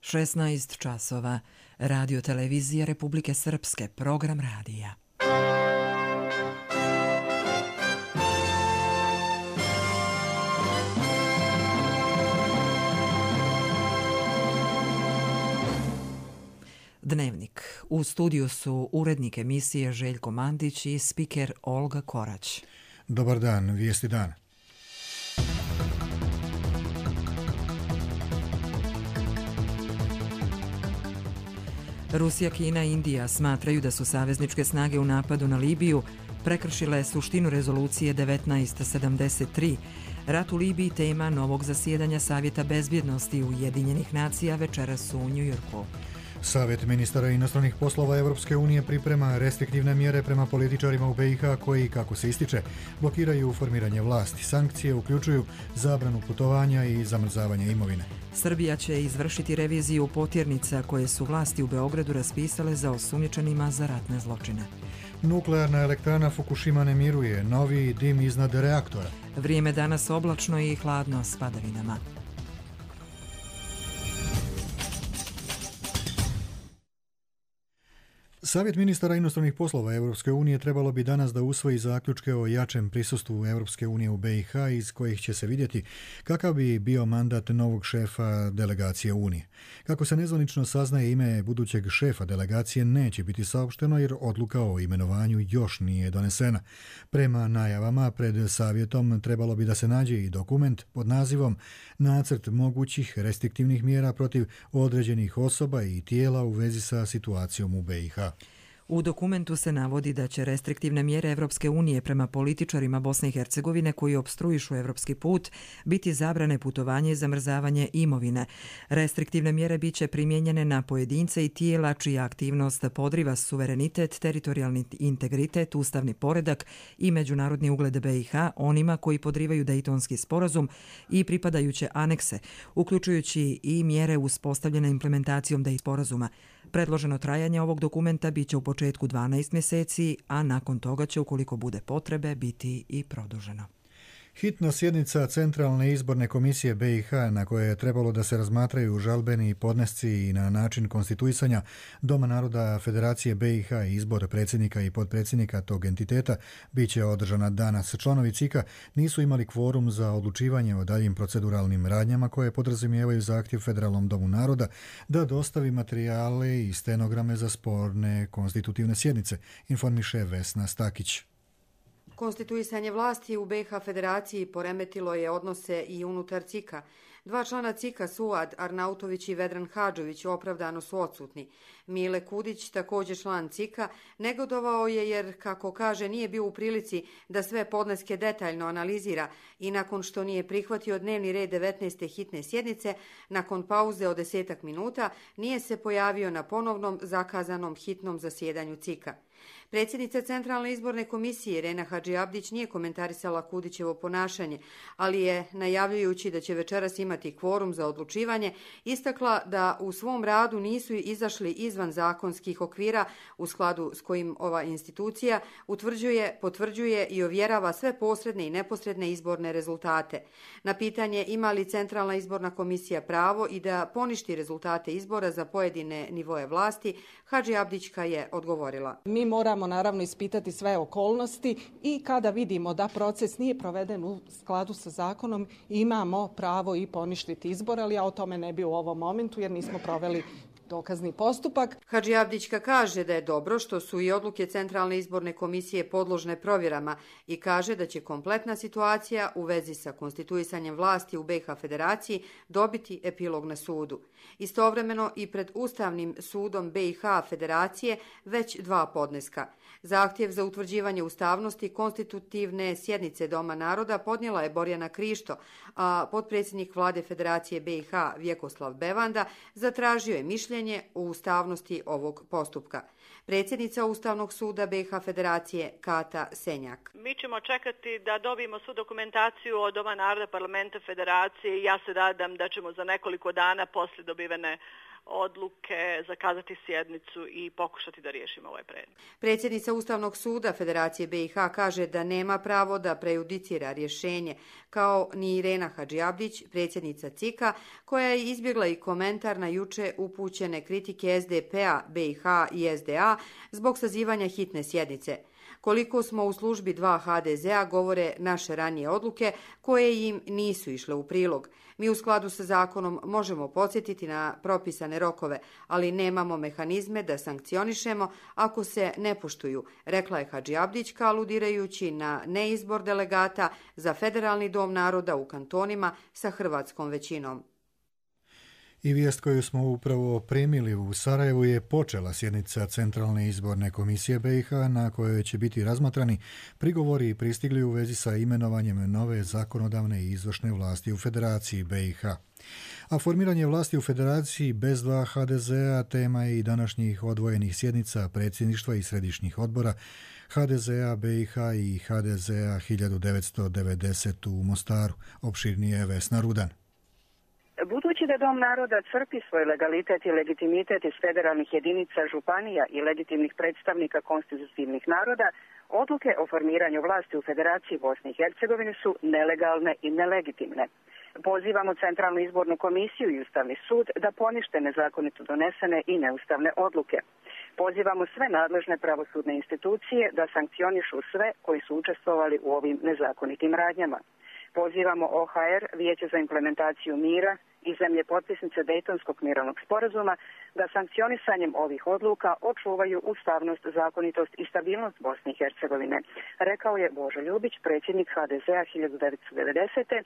16 časova. Radio televizija Republike Srpske, program radija. Dnevnik. U studiju su urednik emisije Željko Mandić i spiker Olga Korać. Dobar dan, vijesti dana. Rusija, Kina i Indija smatraju da su savezničke snage u napadu na Libiju prekršile suštinu rezolucije 1973. Rat u Libiji tema novog zasjedanja Savjeta bezbjednosti Ujedinjenih nacija večeras u Njujorku. Savjet ministara inostranih poslova Europske unije priprema restriktivne mjere prema političarima u BiH koji, kako se ističe, blokiraju formiranje vlasti. Sankcije uključuju zabranu putovanja i zamrzavanje imovine. Srbija će izvršiti reviziju potjernica koje su vlasti u Beogradu raspisale za osumnjičenima za ratne zločine. Nuklearna elektrana Fukushima ne miruje, novi dim iznad reaktora. Vrijeme danas oblačno i hladno s padavinama. Savjet ministara inostranih poslova Europske unije trebalo bi danas da usvoji zaključke o jačem prisustvu Europske unije u BiH iz kojih će se vidjeti kakav bi bio mandat novog šefa delegacije Unije. Kako se nezvanično saznaje, ime budućeg šefa delegacije neće biti saopšteno jer odluka o imenovanju još nije donesena. Prema najavama pred savjetom trebalo bi da se nađe i dokument pod nazivom Nacrt mogućih restriktivnih mjera protiv određenih osoba i tijela u vezi sa situacijom u BiH. U dokumentu se navodi da će restriktivne mjere Europske unije prema političarima Bosne i Hercegovine koji opstruišu evropski put biti zabrane putovanja i zamrzavanje imovine. Restriktivne mjere biće primijenjene na pojedince i tijela čija aktivnost podriva suverenitet, teritorijalni integritet, ustavni poredak i međunarodni ugled BiH, onima koji podrivaju Dejtonski sporazum i pripadajuće anekse, uključujući i mjere uspostavljene implementacijom Dejtonskog sporazuma. Predloženo trajanje ovog dokumenta biće u početku 12 mjeseci, a nakon toga će, ukoliko bude potrebe, biti i produženo. Hitna sjednica Centralne izborne komisije BiH na koje je trebalo da se razmatraju žalbeni podnesci i na način konstituisanja Doma naroda Federacije BiH i izbor predsjednika i potpredsjednika tog entiteta bit će održana danas. Članovi CIK-a nisu imali kvorum za odlučivanje o daljim proceduralnim radnjama koje podrazumijevaju zahtjev Federalnom domu naroda da dostavi materijale i stenograme za sporne konstitutivne sjednice, informiše Vesna Stakić. Konstituisanje vlasti u BiH Federaciji poremetilo je odnose i unutar CIK-a. Dva člana CIK-a, Suad Arnautović i Vedran Hadžović, opravdano su odsutni. Mile Kudić, također član CIK-a, negodovao je jer, kako kaže, nije bio u prilici da sve podneske detaljno analizira i nakon što nije prihvatio dnevni red 19. hitne sjednice, nakon pauze od 10 minuta, nije se pojavio na ponovnom zakazanom hitnom zasjedanju CIK-a. Predsjednica Centralne izborne komisije Rena Hadžiabdić nije komentarisala Kudićevo ponašanje, ali je, najavljujući da će večeras imati kvorum za odlučivanje, istakla da u svom radu nisu izašli izvan zakonskih okvira u skladu s kojim ova institucija utvrđuje, potvrđuje i ovjerava sve posredne i neposredne izborne rezultate. Na pitanje ima li Centralna izborna komisija pravo i da poništi rezultate izbora za pojedine nivoje vlasti, Hadžiabdićka je odgovorila. Mi moramo naravno ispitati sve okolnosti i kada vidimo da proces nije proveden u skladu sa zakonom, imamo pravo i poništiti izbor, ali ja o tome ne bi u ovom momentu jer nismo proveli dokazni postupak. Hadžiabdićka kaže da je dobro što su i odluke Centralne izborne komisije podložne provjerama i kaže da će kompletna situacija u vezi sa konstituisanjem vlasti u BiH Federaciji dobiti epilog na sudu. Istovremeno i pred Ustavnim sudom BiH Federacije već dva podneska. Zahtjev za utvrđivanje ustavnosti konstitutivne sjednice Doma naroda podnijela je Borjana Krišto, a potpredsjednik vlade Federacije BiH Vjekoslav Bevanda zatražio je mišljenje o ustavnosti ovog postupka. Predsjednica Ustavnog suda BiH Federacije Kata Senjak. Mi ćemo čekati da dobijemo svu dokumentaciju od Doma naroda Parlamenta Federacije i ja se nadam da ćemo za nekoliko dana poslije dobivene odluke, zakazati sjednicu i pokušati da riješimo ovaj predmet. Predsjednica Ustavnog suda Federacije BiH kaže da nema pravo da prejudicira rješenje, kao ni Irena Hadžiabdić, predsjednica CIK-a, koja je izbjegla i komentar na juče upućene kritike SDP-a, BiH i SDA zbog sazivanja hitne sjednice. Koliko smo u službi 2 HDZ-a govore naše ranije odluke koje im nisu išle u prilog. Mi u skladu sa zakonom možemo podsjetiti na propisane rokove, ali nemamo mehanizme da sankcionišemo ako se ne poštuju, rekla je Hadžiabdić, aludirajući na neizbor delegata za Federalni dom naroda u kantonima sa hrvatskom većinom. I vijest koju smo upravo primili u Sarajevu je počela sjednica Centralne izborne komisije BiH na kojoj će biti razmatrani prigovori pristigli u vezi sa imenovanjem nove zakonodavne i izvršne vlasti u Federaciji BiH. A formiranje vlasti u Federaciji bez 2 HDZ-a tema je i današnjih odvojenih sjednica predsjedništva i središnjih odbora HDZ-a BiH i HDZ-a 1990 u Mostaru. Opširnije Vesna Rudan. Budući da Dom naroda crpi svoj legalitet i legitimitet iz federalnih jedinica, županija i legitimnih predstavnika konstitutivnih naroda, odluke o formiranju vlasti u Federaciji Bosne i Hercegovine su nelegalne i nelegitimne. Pozivamo Centralnu izbornu komisiju i Ustavni sud da ponište nezakonito donesene i neustavne odluke. Pozivamo sve nadležne pravosudne institucije da sankcionišu sve koji su učestvovali u ovim nezakonitim radnjama. Pozivamo OHR, Vijeće za implementaciju mira i zemlje potpisnice Dejtonskog mirovnog sporazuma da sankcionisanjem ovih odluka očuvaju ustavnost, zakonitost i stabilnost Bosne i Hercegovine, rekao je Božo Ljubić, predsjednik HDZ-a 1990.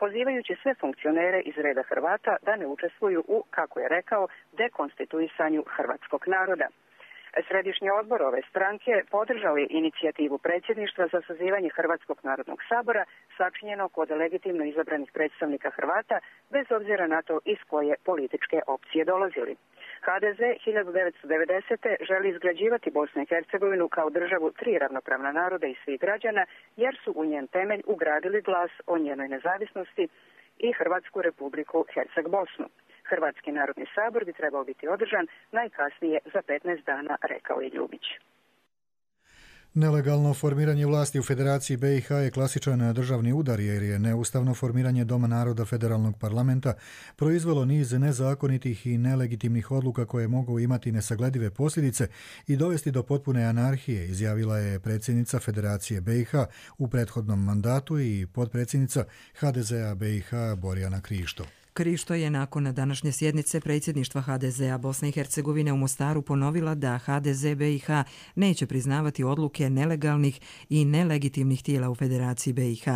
pozivajući sve funkcionere iz reda Hrvata da ne učestvuju u, kako je rekao, dekonstituisanju hrvatskog naroda. Središnji odbor ove stranke podržao je inicijativu predsjedništva za sazivanje Hrvatskog narodnog sabora sačinjenog od legitimno izabranih predstavnika Hrvata bez obzira na to iz koje političke opcije dolazili. HDZ 1990. želi izgrađivati Bosnu i Hercegovinu kao državu 3 ravnopravna naroda i svih građana jer su u njen temelj ugradili glas o njenoj nezavisnosti i Hrvatsku republiku Herceg-Bosnu. Hrvatski narodni sabor bi trebao biti održan najkasnije za 15 dana, rekao je Ljubić. Nelegalno formiranje vlasti u Federaciji BiH je klasičan državni udar jer je neustavno formiranje Doma naroda federalnog parlamenta proizvelo niz nezakonitih i nelegitimnih odluka koje mogu imati nesagledive posljedice i dovesti do potpune anarhije, izjavila je predsjednica Federacije BiH u prethodnom mandatu i potpredsjednica HDZ-a BiH Borjana Krišto. Krišto je nakon današnje sjednice predsjedništva HDZ-a Bosne i Hercegovine u Mostaru ponovila da HDZ BiH neće priznavati odluke nelegalnih i nelegitimnih tijela u Federaciji BiH.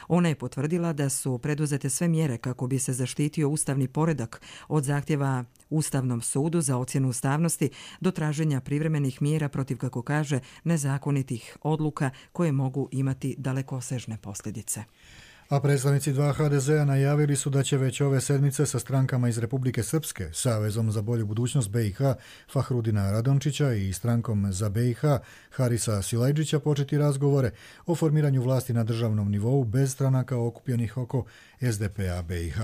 Ona je potvrdila da su preduzete sve mjere kako bi se zaštitio ustavni poredak od zahtjeva Ustavnom sudu za ocjenu ustavnosti do traženja privremenih mjera protiv, kako kaže, nezakonitih odluka koje mogu imati dalekosežne posljedice. A predstavnici 2 HDZ-a najavili su da će već ove sedmice sa strankama iz Republike Srpske, Savezom za bolju budućnost BiH Fahrudina Radončića i strankom za BiH Harisa Silajđića početi razgovore o formiranju vlasti na državnom nivou bez stranaka okupljenih oko SDP-a BiH.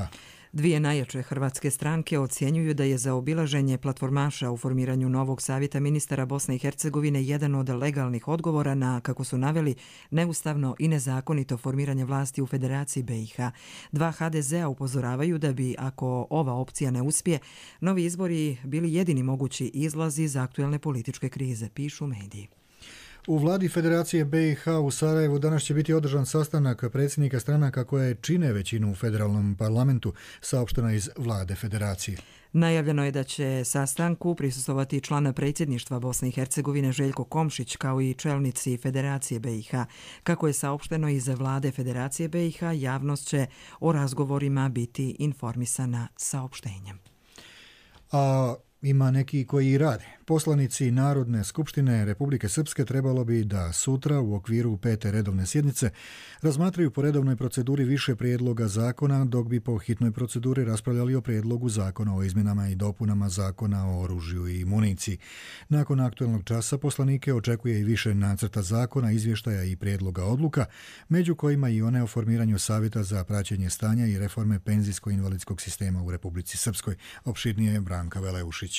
Dvije najjače hrvatske stranke ocjenjuju da je zaobilaženje platformaša u formiranju novog savjeta ministara Bosne i Hercegovine jedan od legalnih odgovora na, kako su naveli, neustavno i nezakonito formiranje vlasti u Federaciji BiH. 2 HDZ-a upozoravaju da bi, ako ova opcija ne uspije, novi izbori bili jedini mogući izlaz iz aktuelne političke krize, pišu mediji. U vladi Federacije BiH u Sarajevu danas će biti održan sastanak predsjednika stranaka koje čine većinu u federalnom parlamentu, saopšteno iz vlade Federacije. Najavljeno je da će sastanku prisustvovati član predsjedništva Bosne i Hercegovine Željko Komšić kao i čelnici Federacije BiH. Kako je saopšteno iz vlade Federacije BiH, javnost će o razgovorima biti informisana saopštenjem. A Ima neki koji i rade. Poslanici Narodne skupštine Republike Srpske trebalo bi da sutra u okviru 5. redovne sjednice razmatraju po redovnoj proceduri više prijedloga zakona, dok bi po hitnoj proceduri raspravljali o prijedlogu zakona o izmjenama i dopunama zakona o oružju i municiji. Nakon aktualnog časa poslanike očekuje i više nacrta zakona, izvještaja i prijedloga odluka, među kojima i one o formiranju Savjeta za praćenje stanja i reforme penzijsko-invalidskog sistema u Republici Srpskoj. Opširnije je Branka Veleušić.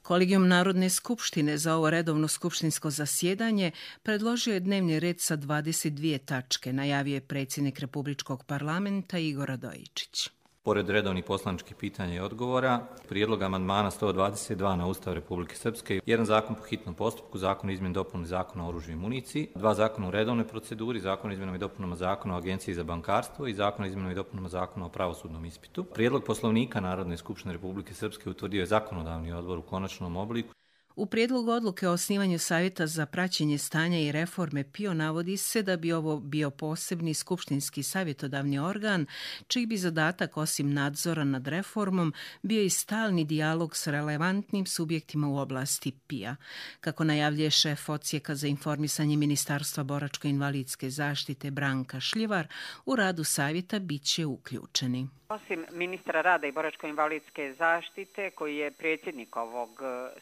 Kolegijum Narodne skupštine za ovo redovno skupštinsko zasjedanje predložio je dnevni red sa 22 tačke, najavio je predsjednik Republičkog parlamenta Igor Radojičić. Pored redovnih poslaničkih pitanja i odgovora, prijedlog amandmana 122 na Ustav Republike Srpske, jedan zakon po hitnom postupku, zakon o izmjeni i dopuni zakona o oružju i municiji, dva zakona u redovnoj proceduri, zakon o izmjenama i dopunama zakona o Agenciji za bankarstvo i zakon o izmjenama i dopunama zakona o pravosudnom ispitu. Prijedlog Poslovnika Narodne skupštine Republike Srpske utvrdio je zakonodavni odbor u konačnom obliku. U prijedlogu odluke o osnivanju Savjeta za praćenje stanja i reforme PIO navodi se da bi ovo bio posebni skupštinski savjetodavni organ, čiji bi zadatak osim nadzora nad reformom bio i stalni dijalog s relevantnim subjektima u oblasti PIO. Kako najavljuje šef Odsjeka za informisanje Ministarstva boračko-invalidske zaštite Branka Šljivar, u radu Savjeta bit će uključeni. Osim ministra rada i boračko-invalidske zaštite, koji je predsjednik ovog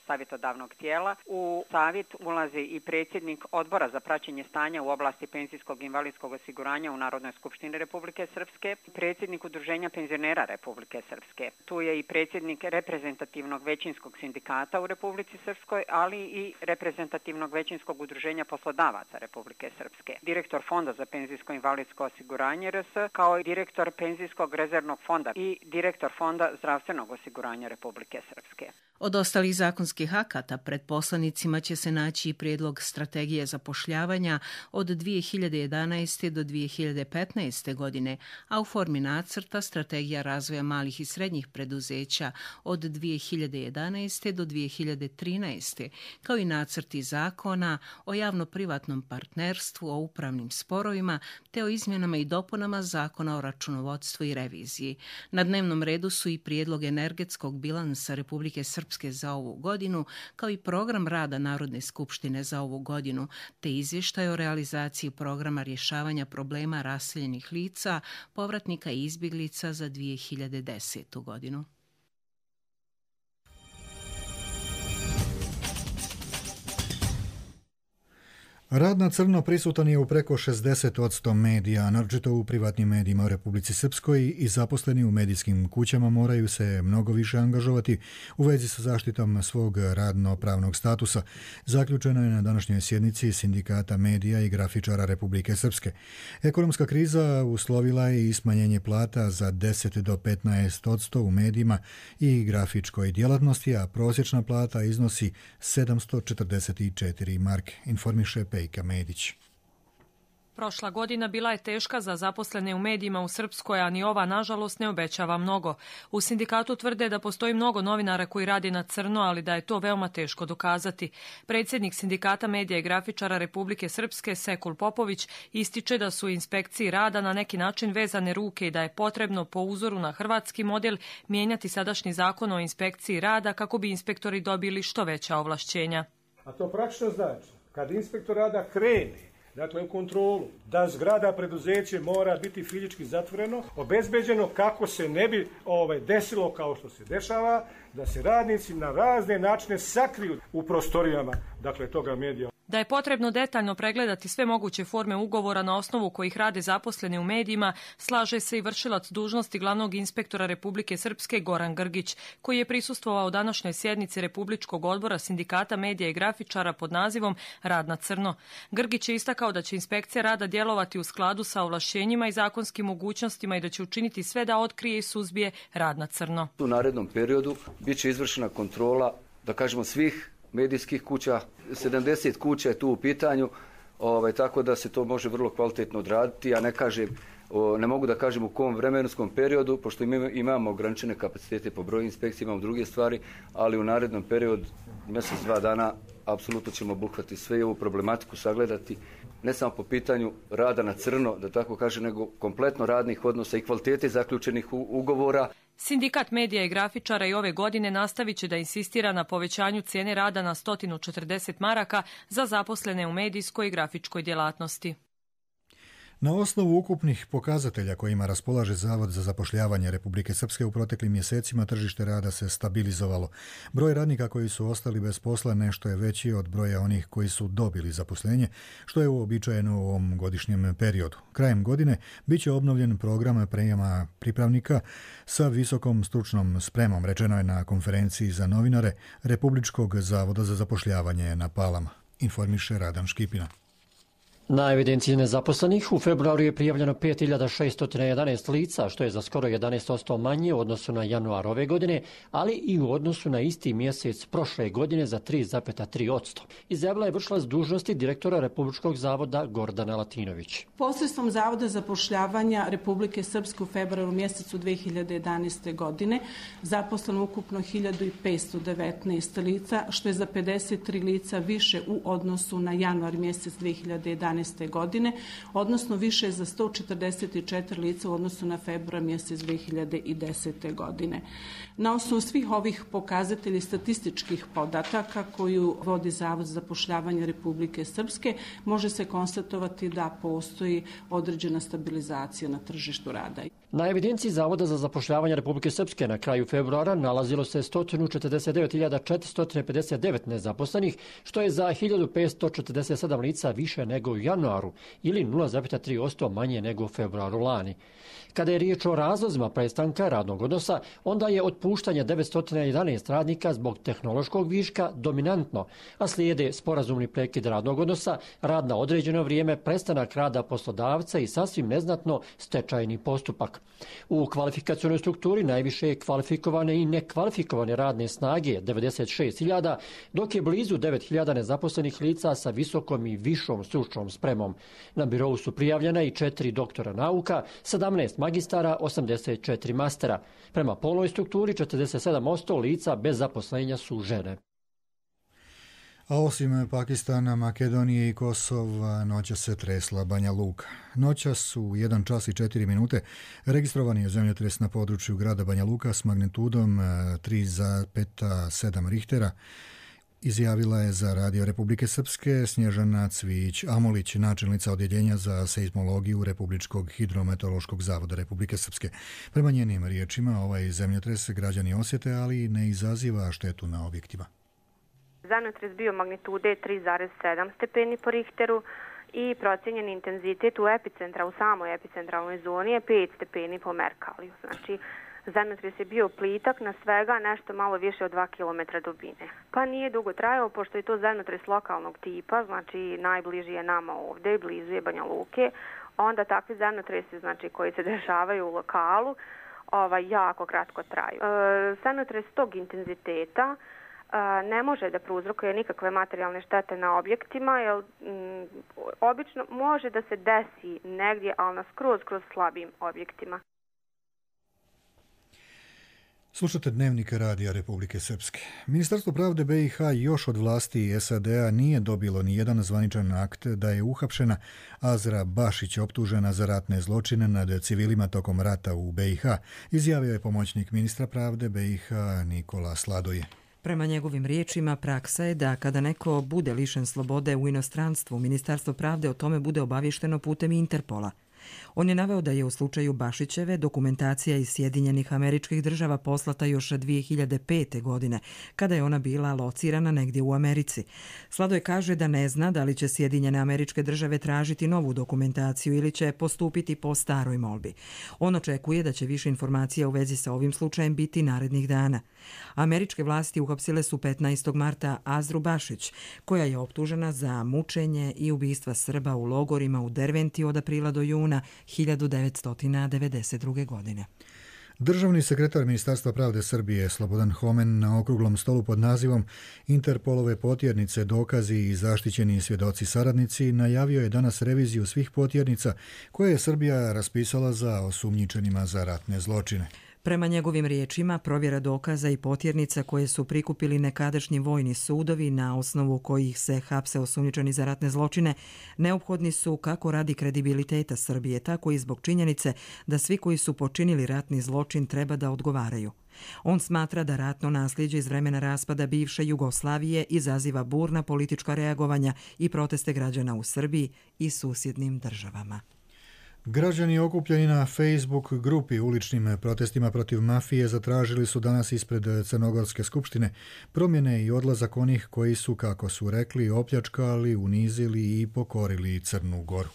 savjetodavnog tijela, u savjet ulazi i predsjednik odbora za praćenje stanja u oblasti penzijskog i invalidskog osiguranja u Narodnoj skupštini Republike Srpske, predsjednik Udruženja penzionera Republike Srpske. Tu je i predsjednik reprezentativnog većinskog sindikata u Republici Srpskoj, ali i reprezentativnog većinskog udruženja poslodavaca Republike Srpske, direktor Fonda za penzijsko i invalidsko osiguranje RS, kao i direktor penzijskog rezervnog fonda i direktor Fonda zdravstvenog osiguranja Republike Srpske. Od ostalih zakonskih akata pred poslanicima će se naći i prijedlog strategije zapošljavanja od 2011. do 2015. godine, a u formi nacrta strategija razvoja malih i srednjih preduzeća od 2011. do 2013. kao i nacrti zakona o javno-privatnom partnerstvu, o upravnim sporovima te o izmjenama i dopunama zakona o računovodstvu i reviziji. Na dnevnom redu su i prijedlog energetskog bilansa Republike Srpske za ovu godinu, kao i program rada Narodne skupštine za ovu godinu, te izvještaj o realizaciji programa rješavanja problema raseljenih lica, povratnika i izbjeglica za 2010. godinu. Rad na crno prisutan je u preko 60% medija, naročito u privatnim medijima u Republici Srpskoj, i zaposleni u medijskim kućama moraju se mnogo više angažovati u vezi sa zaštitom svog radno-pravnog statusa. Zaključeno je na današnjoj sjednici Sindikata medija i grafičara Republike Srpske. Ekonomska kriza uslovila je i smanjenje plata za 10 do 15% u medijima i grafičkoj djelatnosti, a prosječna plata iznosi 744 marke, informiše Pejka Medić. Prošla godina bila je teška za zaposlene u medijima u Srpskoj, a ni ova, nažalost, ne obećava mnogo. U sindikatu tvrde da postoji mnogo novinara koji radi na crno, ali da je to veoma teško dokazati. Predsjednik Sindikata medija i grafičara Republike Srpske, Sekul Popović, ističe da su inspekciji rada na neki način vezane ruke i da je potrebno po uzoru na hrvatski model mijenjati sadašnji zakon o inspekciji rada kako bi inspektori dobili što veća ovlašćenja. A to praktično znači, kad inspektor rada krene, dakle u kontrolu, da zgrada preduzeće mora biti fizički zatvoreno, obezbeđeno kako se ne bi desilo kao što se dešava, da se radnici na razne načine sakriju u prostorijama, dakle toga medija. Da je potrebno detaljno pregledati sve moguće forme ugovora na osnovu kojih rade zaposleni u medijima, slaže se i vršilac dužnosti glavnog inspektora Republike Srpske Goran Grgić, koji je prisustvovao današnjoj sjednici Republičkog odbora Sindikata medija i grafičara pod nazivom Rad na crno. Grgić je istakao da će inspekcija rada djelovati u skladu sa ovlašćenjima i zakonskim mogućnostima i da će učiniti sve da otkrije i suzbije rad na crno. U narednom periodu bit će izvršena kontrola, da kažemo, svih medijskih kuća, 70 kuća je tu u pitanju, tako da se to može vrlo kvalitetno odraditi. Ja ne mogu da kažem u kom vremenskom periodu, pošto imamo ograničene kapacitete po broju inspekcija, imamo druge stvari, ali u narednom periodu, mjesec, 2 dana, apsolutno ćemo obuhvatiti sve ovu problematiku, sagledati, ne samo po pitanju rada na crno, da tako kažem, nego kompletno radnih odnosa i kvalitete zaključenih ugovora. Sindikat medija i grafičara i ove godine nastavit će da insistira na povećanju cijene rada na 140 maraka za zaposlene u medijskoj i grafičkoj djelatnosti. Na osnovu ukupnih pokazatelja kojima raspolaže Zavod za zapošljavanje Republike Srpske u proteklim mjesecima tržište rada se stabilizovalo. Broj radnika koji su ostali bez posla nešto je veći od broja onih koji su dobili zaposlenje, što je uobičajeno u ovom godišnjem periodu. Krajem godine bit će obnovljen program prijema pripravnika sa visokom stručnom spremom, rečeno je na konferenciji za novinare Republičkog zavoda za zapošljavanje na Palama, informiše Radan Škipina. Na evidenciji nezaposlenih u februaru je prijavljeno 5611 lica, što je za skoro 11% manje u odnosu na januar ove godine, ali i u odnosu na isti mjesec prošle godine za 3,3%. Izjavila je vršilac dužnosti direktora Republičkog zavoda Gordana Latinović. Posredstvom Zavoda zapošljavanja Republike Srpske u februaru mjesecu 2011. godine zaposleno ukupno 1519 lica, što je za 53 lica više u odnosu na januar mjesec 2011. godine, odnosno više za 144 lica u odnosu na februar mjesec 2010. godine. Na osnovu svih ovih pokazatelja statističkih podataka koju vodi Zavod za zapošljavanje Republike Srpske, može se konstatovati da postoji određena stabilizacija na tržištu rada. Na evidenciji Zavoda za zapošljavanje Republike Srpske na kraju februara nalazilo se 149.459 nezaposlenih, što je za 1547 lica više nego u januaru ili 0,3% manje nego u februaru lani. Kada je riječ o razlozima prestanka radnog odnosa, onda je otpuštanje 911 radnika zbog tehnološkog viška dominantno, a slijede sporazumni prekid radnog odnosa, rad na određeno vrijeme, prestanak rada poslodavca i sasvim neznatno stečajni postupak. U kvalifikacionoj strukturi najviše je kvalifikovane i nekvalifikovane radne snage 96.000, dok je blizu 9.000 nezaposlenih lica sa visokom i višom stručnom spremom. Na birou su prijavljena i 4 doktora nauka, 17 magistara, 84 mastera. Prema polnoj strukturi 47% lica bez zaposlenja su žene. A osim Pakistana, Makedonije i Kosova, noća se tresla Banja Luka. Noćas u 1 čas i 4 minute registrovan je zemljotres na području grada Banja Luka s magnitudom 3,7 Richtera. Izjavila je za Radio Republike Srpske Snježana Cvijić-Amolić, načelnica odjeljenja za seizmologiju Republičkog hidrometeorološkog zavoda Republike Srpske. Prema njenim riječima, ovaj zemljotres građani osjete, ali ne izaziva štetu na objektima. Zemljotres bio magnitude 3,7 stepeni po Richteru i procijenjen intenzitet u epicentra, u samoj epicentralnoj zoni je 5 stepeni po Merkaliju. Znači, zemljotres je bio plitak na svega nešto malo više od 2 km dubine. Pa nije dugo trajao, pošto je to zemljotres lokalnog tipa, znači najbliži je nama ovdje, blizu je Banja Luke, onda takvi zemljotresi, znači, koji se dešavaju u lokalu, jako kratko traju. Zemljotres tog intenziteta ne može da prouzrokuje nikakve materijalne štete na objektima, jer obično može da se desi negdje, ali na skroz slabim objektima. Slušate Dnevnik Radija Republike Srpske. Ministarstvo pravde BiH još od vlasti SAD-a nije dobilo ni jedan zvaničan akt da je uhapšena Azra Bašić optužena za ratne zločine nad civilima tokom rata u BiH, izjavio je pomoćnik ministra pravde BiH Nikola Sladoje. Prema njegovim riječima, praksa je da kada neko bude lišen slobode u inostranstvu, Ministarstvo pravde o tome bude obavješteno putem Interpola. On je naveo da je u slučaju Bašićeve dokumentacija iz Sjedinjenih Američkih Država poslata još 2005. godine, kada je ona bila locirana negdje u Americi. Sladoj kaže da ne zna da li će Sjedinjene Američke Države tražiti novu dokumentaciju ili će postupiti po staroj molbi. On očekuje da će više informacija u vezi sa ovim slučajem biti narednih dana. Američke vlasti uhapsile su 15. marta Azru Bašić, koja je optužena za mučenje i ubistva Srba u logorima u Derventi od aprila do juna 1992. godine. Državni sekretar Ministarstva pravde Srbije Slobodan Homen na okruglom stolu pod nazivom Interpolove potjernice, dokazi i zaštićeni svjedoci saradnici najavio je danas reviziju svih potjernica koje je Srbija raspisala za osumnjičenima za ratne zločine. Prema njegovim riječima, provjera dokaza i potjernica koje su prikupili nekadašnji vojni sudovi na osnovu kojih se hapse osumnjičeni za ratne zločine, neophodni su kako radi kredibiliteta Srbije, tako i zbog činjenice da svi koji su počinili ratni zločin treba da odgovaraju. On smatra da ratno nasljeđe iz vremena raspada bivše Jugoslavije izaziva burna politička reagovanja i proteste građana u Srbiji i susjednim državama. Građani okupljeni na Facebook grupi uličnim protestima protiv mafije zatražili su danas ispred Crnogorske skupštine promjene i odlazak onih koji su, kako su rekli, opljačkali, unizili i pokorili Crnu Goru.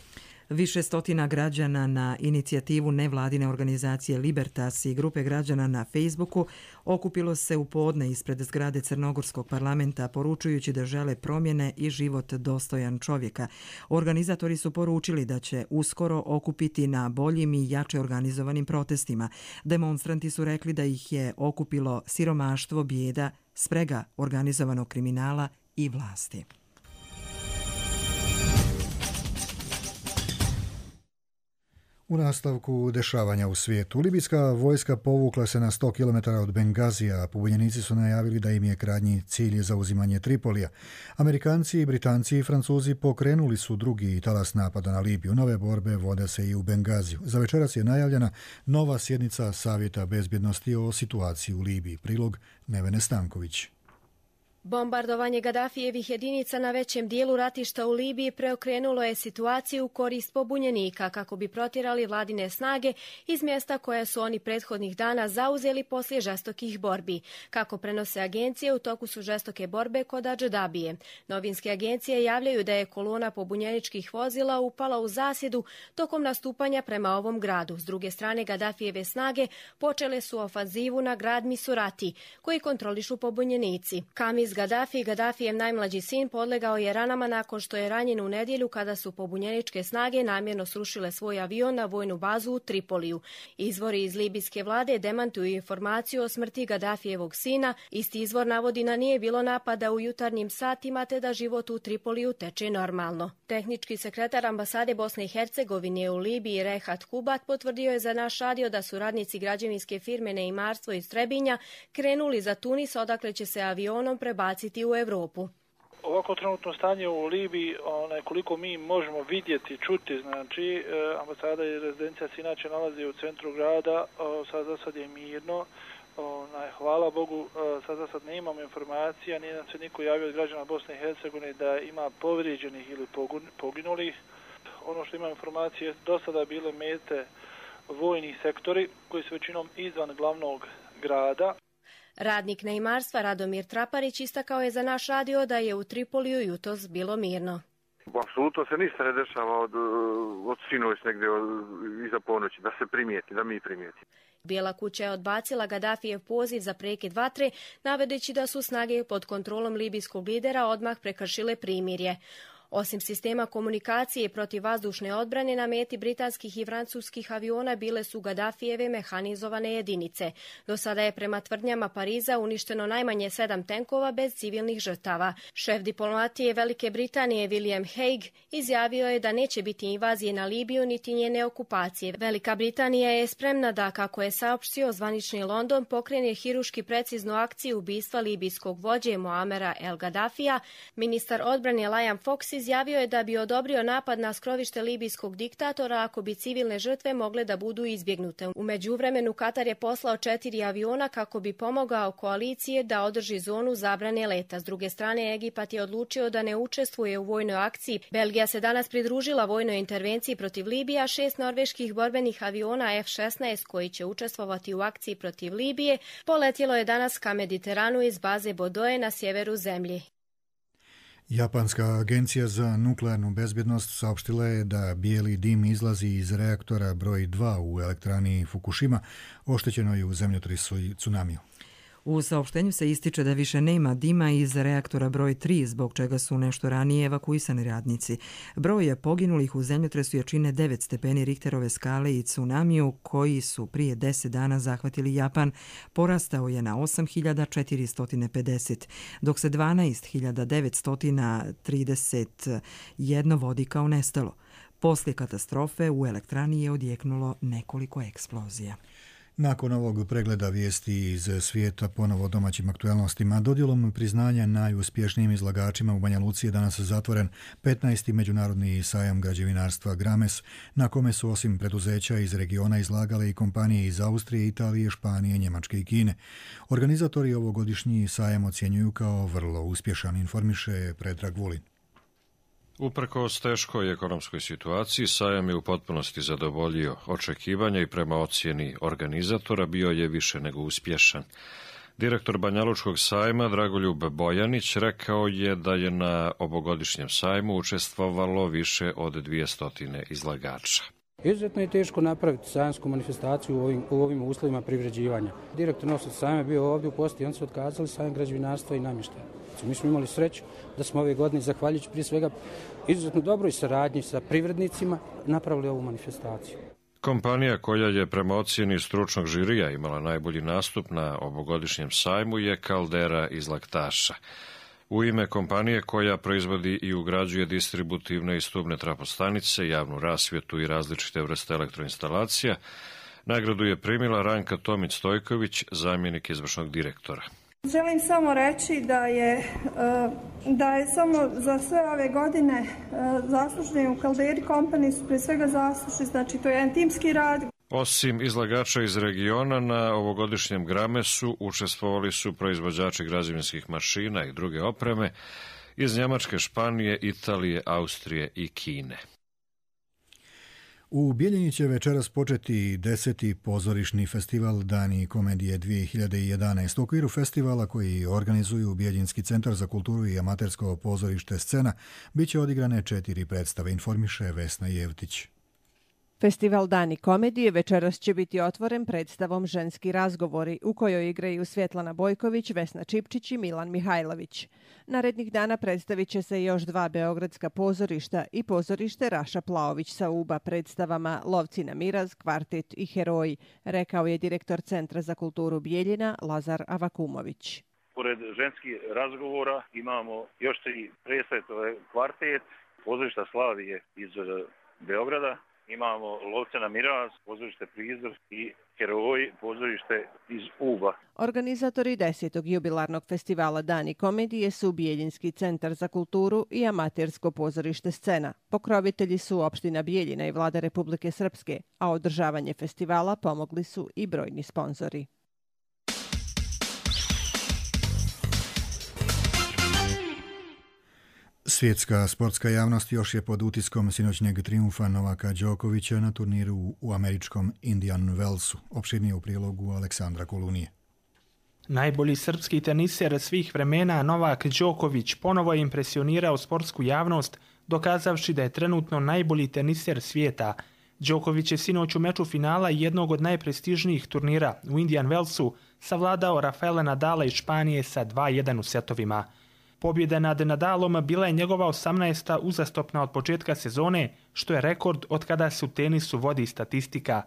Više stotina građana na inicijativu nevladine organizacije Libertas i grupe građana na Facebooku okupilo se u podne ispred zgrade Crnogorskog parlamenta, poručujući da žele promjene i život dostojan čovjeka. Organizatori su poručili da će uskoro okupiti na boljim i jače organizovanim protestima. Demonstranti su rekli da ih je okupilo siromaštvo, bijeda, sprega organizovanog kriminala i vlasti. U nastavku dešavanja u svijetu, libijska vojska povukla se na 100 km od Bengazija, a pobunjenici su najavili da im je krajnji cilj zauzimanje Tripolija. Amerikanci, Britanci i Francuzi pokrenuli su drugi talas napada na Libiju. Nove borbe vode se i u Bengaziju. Za večeras je najavljena nova sjednica Savjeta bezbjednosti o situaciji u Libiji. Prilog Nevene Stanković. Bombardovanje Gadafijevih jedinica na većem dijelu ratišta u Libiji preokrenulo je situaciju u korist pobunjenika kako bi protjerali vladine snage iz mjesta koja su oni prethodnih dana zauzeli poslije žestokih borbi. Kako prenose agencije, u toku su žestoke borbe kod Adžadabije. Novinske agencije javljaju da je kolona pobunjeničkih vozila upala u zasjedu tokom nastupanja prema ovom gradu. S druge strane, Gadafijeve snage počele su ofanzivu na grad Misurati, koji kontrolišu pobunjenici. Kamis Gaddafi, Gaddafijev najmlađi sin, podlegao je ranama nakon što je ranjen u nedjelju kada su pobunjeničke snage namjerno srušile svoj avion na vojnu bazu u Tripoliju. Izvori iz libijske vlade demantuju informaciju o smrti Gaddafijevog sina. Isti izvor navodi da nije bilo napada u jutarnjim satima te da život u Tripoliju teče normalno. Tehnički sekretar ambasade Bosne i Hercegovine u Libiji Rehat Kubat potvrdio je za naš radio da su radnici građevinske firme Neimarstvo iz Trebinja krenuli za Tunis, odakle će se avionom prebaciti u Europu. Ovako trenutno stanje u Libiji, koliko mi možemo vidjeti, čuti, znači ambasada i rezidencija se inače nalazi u centru grada, za sad je mirno. Hvala Bogu, sad ne imamo informacija, nije nam se niko javio od građana Bosne i Hercegovine da ima povrijeđenih ili poginulih. Ono što ima informacije, do sada bile mete vojni sektori koji su većinom izvan glavnog grada. Radnik Neimarstva Radomir Traparić istakao je za naš radio da je u Tripoliju jutros bilo mirno. Apsolutno se ništa ne dešava od sinoć negdje iza ponoći, da se primijeti, da mi primijetimo. Bijela kuća je odbacila Gaddafijev poziv za prekid vatre, navedeći da su snage pod kontrolom libijskog lidera odmah prekršile primirje. Osim sistema komunikacije i protivvazdušne odbrane, na meti britanskih i francuskih aviona bile su Gaddafijeve mehanizovane jedinice. Do sada je prema tvrdnjama Pariza uništeno najmanje 7 tenkova bez civilnih žrtava. Šef diplomatije Velike Britanije William Hague izjavio je da neće biti invazije na Libiju niti njene okupacije. Velika Britanija je spremna da, kako je saopštio zvanični London, pokrene hiruški preciznu akciju ubistva libijskog vođe Muamera El Gaddafija. Ministar odbrane Liam Fox izjavio je da bi odobrio napad na skrovište libijskog diktatora ako bi civilne žrtve mogle da budu izbjegnute. U međuvremenu Katar je poslao 4 aviona kako bi pomogao koalicije da održi zonu zabrane leta. S druge strane, Egipat je odlučio da ne učestvuje u vojnoj akciji. Belgija se danas pridružila vojnoj intervenciji protiv Libije, 6 norveških borbenih aviona F-16 koji će učestvovati u akciji protiv Libije poletjelo je danas ka Mediteranu iz baze Bodoje na sjeveru zemlje. Japanska agencija za nuklearnu bezbjednost saopštila je da bijeli dim izlazi iz reaktora broj 2 u elektrani Fukushima, oštećenoj u zemljotresu i tsunamiju. U saopštenju se ističe da više nema dima iz reaktora broj 3, zbog čega su nešto ranije evakuisani radnici. Broj je poginulih u zemljotresu jačine 9 stepeni Richterove skale i tsunamiju, koji su prije 10 dana zahvatili Japan, porastao je na 8.450, dok se 12.931 vodi kao nestalo. Poslije katastrofe u elektrani je odjeknulo nekoliko eksplozija. Nakon ovog pregleda vijesti iz svijeta ponovo domaćim aktualnostima, dodjelom priznanja najuspješnijim izlagačima u Banja Luci je danas zatvoren 15. međunarodni sajam građevinarstva Grames, na kome su osim preduzeća iz regiona izlagale i kompanije iz Austrije, Italije, Španije, Njemačke i Kine. Organizatori ovogodišnji sajam ocjenjuju kao vrlo uspješan, informiše Predrag Vulin. Uprkos teškoj ekonomskoj situaciji, sajam je u potpunosti zadovoljio očekivanja i prema ocjeni organizatora bio je više nego uspješan. Direktor Banjalučkog sajma Dragoljub Bojanić rekao je da je na ovogodišnjem sajmu učestvovalo više od 200 izlagača. Izuzetno je teško napraviti sajamsku manifestaciju u ovim uslovima privređivanja. Direktor nositelj sajma je bio ovdje u posjeti i oni su otkazali sajam građevinarstva i namještaja. Mi smo imali sreću da smo ove godine, zahvaljujući prije svega izuzetno dobroj saradnji sa privrednicima, napravili ovu manifestaciju. Kompanija koja je prema ocjeni stručnog žirija imala najbolji nastup na ovogodišnjem sajmu je Kaldera iz Laktaša. U ime kompanije koja proizvodi i ugrađuje distributivne i stubne trafostanice, javnu rasvjetu i različite vrste elektroinstalacija, nagradu je primila Ranka Tomić-Stojković, zamjenik izvršnog direktora. Želim samo reći da je samo za sve ove godine zaslužni u Calderi Company su prije svega zaslužni, znači to je jedan timski rad. Osim izlagača iz regiona, na ovogodišnjem Gramesu učestvovali su proizvođači građevinskih mašina i druge opreme iz Njemačke, Španije, Italije, Austrije i Kine. U Bijeljini će večeras početi 10. pozorišni festival Dani komedije 2011. U okviru festivala koji organizuju Bijeljinski centar za kulturu i amatersko pozorište Scena bit će odigrane 4 predstave, informiše Vesna Jevtić. Festival Dani komedije večeras će biti otvoren predstavom Ženski razgovori, u kojoj igraju Svjetlana Bojković, Vesna Čipčić i Milan Mihajlović. Narednih dana predstavit će se još 2 beogradska pozorišta i pozorište Raša Plaović sa Uba predstavama Lovci na miraz, Kvartet i Heroji, rekao je direktor Centra za kulturu Bijeljina Lazar Avakumović. Pored Ženskih razgovora imamo još 3 predstave, to je Kvartet, pozorišta Slavije iz Beograda. Imamo Lovce na miraz, pozorište Prizor i Heroji, pozorište iz Uba. Organizatori 10. jubilarnog festivala Dani komedije su Bijeljinski centar za kulturu i amatersko pozorište Scena. Pokrovitelji su opština Bijeljina i Vlada Republike Srpske, a održavanje festivala pomogli su i brojni sponzori. Svjetska sportska javnost još je pod utiskom sinoćnjeg trijumfa Novaka Đokovića na turniru u američkom Indian Wellsu. Opširnije u prilogu Aleksandra Kolunije. Najbolji srpski teniser svih vremena Novak Đoković ponovo je impresionirao sportsku javnost, dokazavši da je trenutno najbolji teniser svijeta. Đoković je sinoć u meču finala jednog od najprestižnijih turnira u Indian Wellsu savladao Rafaela Nadala iz Španije sa 2:1 u setovima. Pobjeda nad Nadalom bila je njegova 18. uzastopna od početka sezone, što je rekord od kada se u tenisu vodi statistika.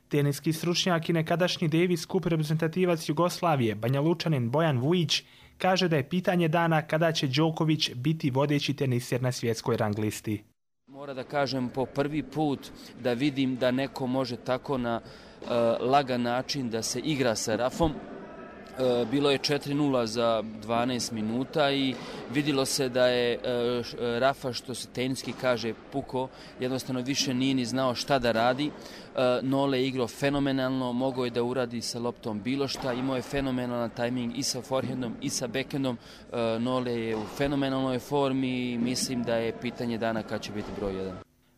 Teniski stručnjak i nekadašnji Davis Cup reprezentativac Jugoslavije, Banjalučanin Bojan Vujić, kaže da je pitanje dana kada će Đoković biti vodeći teniser na svjetskoj rang listi. Mora da kažem po prvi put da vidim da neko može tako na lagan način da se igra sa Rafom. Bilo je 4:0 za 12 minuta i vidjelo se da je Rafa, što se teniski kaže, puko, jednostavno više nije ni znao šta da radi. Nole je igrao fenomenalno, mogao je da uradi sa loptom bilo šta, imao je fenomenalan tajming i sa forehandom i sa backhandom. Nole je u fenomenalnoj formi i mislim da je pitanje dana kad će biti broj 1.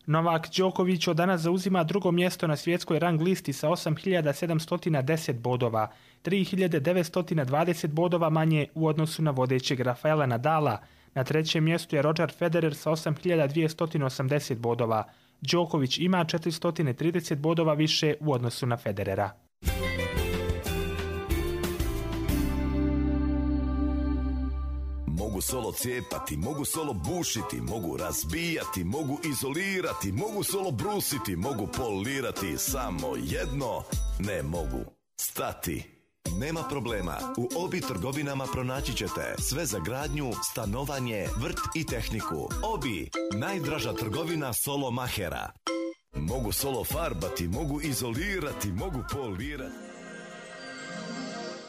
Novak Đoković od danas zauzima drugo mjesto na svjetskoj rang listi sa 8.710 bodova, 3.920 bodova manje u odnosu na vodećeg Rafaela Nadala. Na trećem mjestu je Roger Federer sa 8.280 bodova. Đoković ima 430 bodova više u odnosu na Federera. Mogu solo cijepati, mogu solo bušiti, mogu razbijati, mogu izolirati, mogu solo brusiti, mogu polirati, samo jedno ne mogu. Stati. Nema problema, u Obi trgovinama pronaći ćete sve za gradnju, stanovanje, vrt i tehniku. Obi, najdraža trgovina solo mahera. Mogu solo farbati, mogu izolirati, mogu polirati.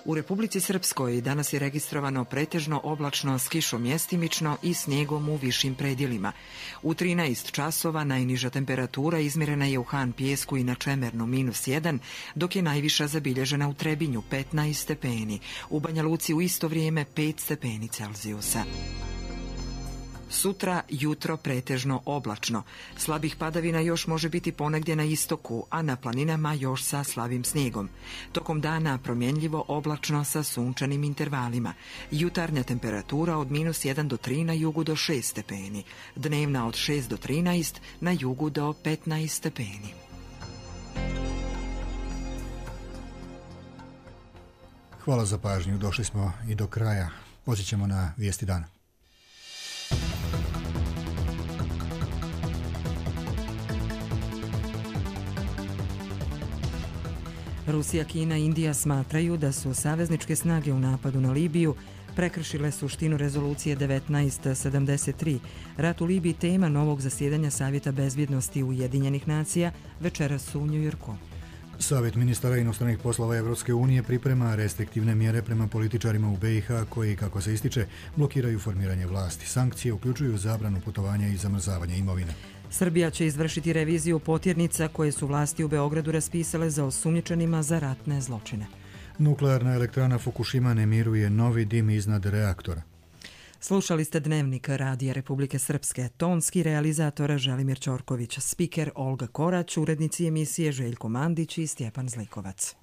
U Republici Srpskoj danas je registrovano pretežno oblačno s kišom mjestimično i snijegom u višim predjelima. U 13 časova najniža temperatura izmjerena je u Han Pijesku i na Čemernu -1, dok je najviša zabilježena u Trebinju 15 stepeni. U Banja Luci u isto vrijeme 5 stepeni Celzijusa. Sutra jutro pretežno oblačno. Slabih padavina još može biti ponegdje na istoku, a na planinama još sa slabim snijegom. Tokom dana promjenljivo oblačno sa sunčanim intervalima. Jutarnja temperatura od -1 do 3 na jugu do 6 stepeni. Dnevna od 6 do 13, na jugu do 15 stepeni. Hvala za pažnju. Došli smo i do kraja. Podsjećamo na vijesti dana. Rusija, Kina i Indija smatraju da su savezničke snage u napadu na Libiju prekršile suštinu rezolucije 1973. Rat u Libiji tema novog zasjedanja Savjeta bezbjednosti Ujedinjenih nacija večeras u Njujorku. Savjet ministara inostranih poslova Evropske unije priprema restriktivne mjere prema političarima u BiH koji, kako se ističe, blokiraju formiranje vlasti. Sankcije uključuju zabranu putovanja i zamrzavanje imovine. Srbija će izvršiti reviziju potjernica koje su vlasti u Beogradu raspisale za osumnjičenima za ratne zločine. Nuklearna elektrana Fukushima ne miruje novi dim iznad reaktora. Slušali ste Dnevnik Radija Republike Srpske, tonski realizator Želimir Ćorković, spiker Olga Korać, urednici emisije Željko Mandić i Stjepan Zlikovac.